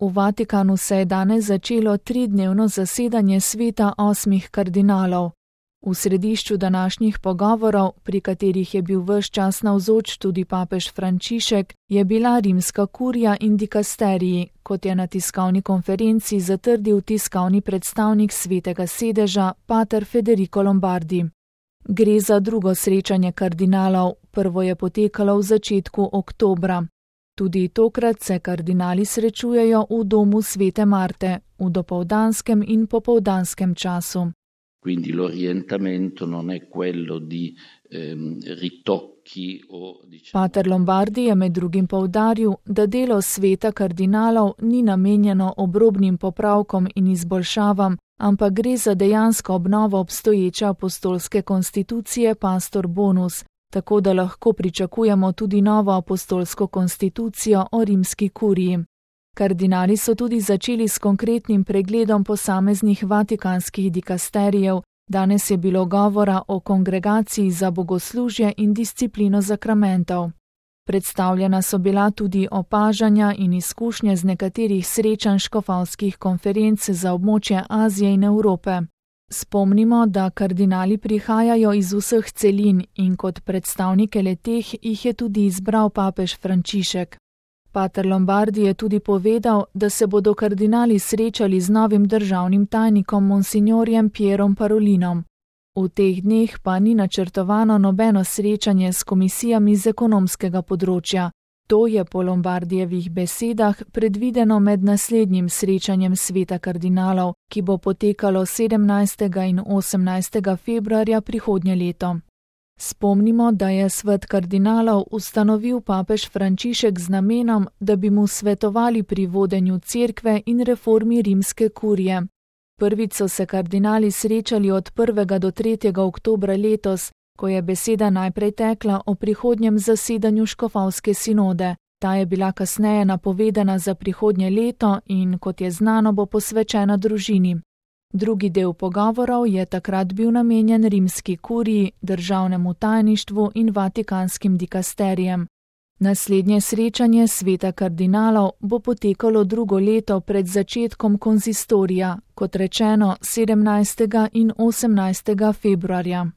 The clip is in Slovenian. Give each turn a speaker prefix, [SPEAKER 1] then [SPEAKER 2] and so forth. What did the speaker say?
[SPEAKER 1] V Vatikanu se je danes začelo 3-dnevno zasedanje sveta 8 kardinalov. V središču današnjih pogovorov, pri katerih je bil ves čas navzoč tudi papež Frančišek, je bila rimska kurija in dikasteriji, kot je na tiskovni konferenci zatrdil tiskovni predstavnik svetega sedeža, pater Federico Lombardi. Gre za drugo srečanje kardinalov, prvo je potekalo v začetku oktobra. Tudi tokrat se kardinali srečujejo v domu svete Marte, v dopoldanskem in popoldanskem času.
[SPEAKER 2] Quindi l'orientamento non è quello di ritocchi o
[SPEAKER 1] Pater Lombardi je med drugim poudaril, da delo sveta kardinalov ni namenjeno obrobnim popravkom in izboljšavam, ampak gre za dejansko obnovo obstoječe apostolske konstitucije Pastor Bonus, tako da lahko pričakujemo tudi novo apostolsko konstitucijo o rimski kuriji. Kardinali so tudi začeli s konkretnim pregledom posameznih vatikanskih dikasterijev. Danes je bilo govora o kongregaciji za bogoslužje in disciplino zakramentov. Predstavljena so bila tudi opažanja in izkušnje z nekaterih srečanj škofovskih konferenc za območje Azije in Evrope. Spomnimo, da kardinali prihajajo iz vseh celin in kot predstavnike le-teh jih je tudi izbral papež Frančišek. Pater Lombardi je tudi povedal, da se bodo kardinali srečali z novim državnim tajnikom monsignorjem Pierom Parolinom. V teh dneh pa ni načrtovano nobeno srečanje s komisijami z ekonomskega področja. To je po Lombardijevih besedah predvideno med naslednjim srečanjem sveta kardinalov, ki bo potekalo 17. in 18. februarja prihodnje leto. Spomnimo, da je svet kardinalov ustanovil papež Frančišek z namenom, da bi mu svetovali pri vodenju cerkve in reformi rimske kurije. Prvič so se kardinali srečali od 1. do 3. oktobra letos, ko je beseda najprej tekla o prihodnjem zasedanju škofovske sinode. Ta je bila kasneje napovedana za prihodnje leto in, kot je znano, bo posvečena družini. Drugi del pogovorov je takrat bil namenjen rimski kuriji, državnemu tajništvu in vatikanskim dikasterijem. Naslednje srečanje sveta kardinalov bo potekalo drugo leto pred začetkom konzistorija, kot rečeno 17. in 18. februarja.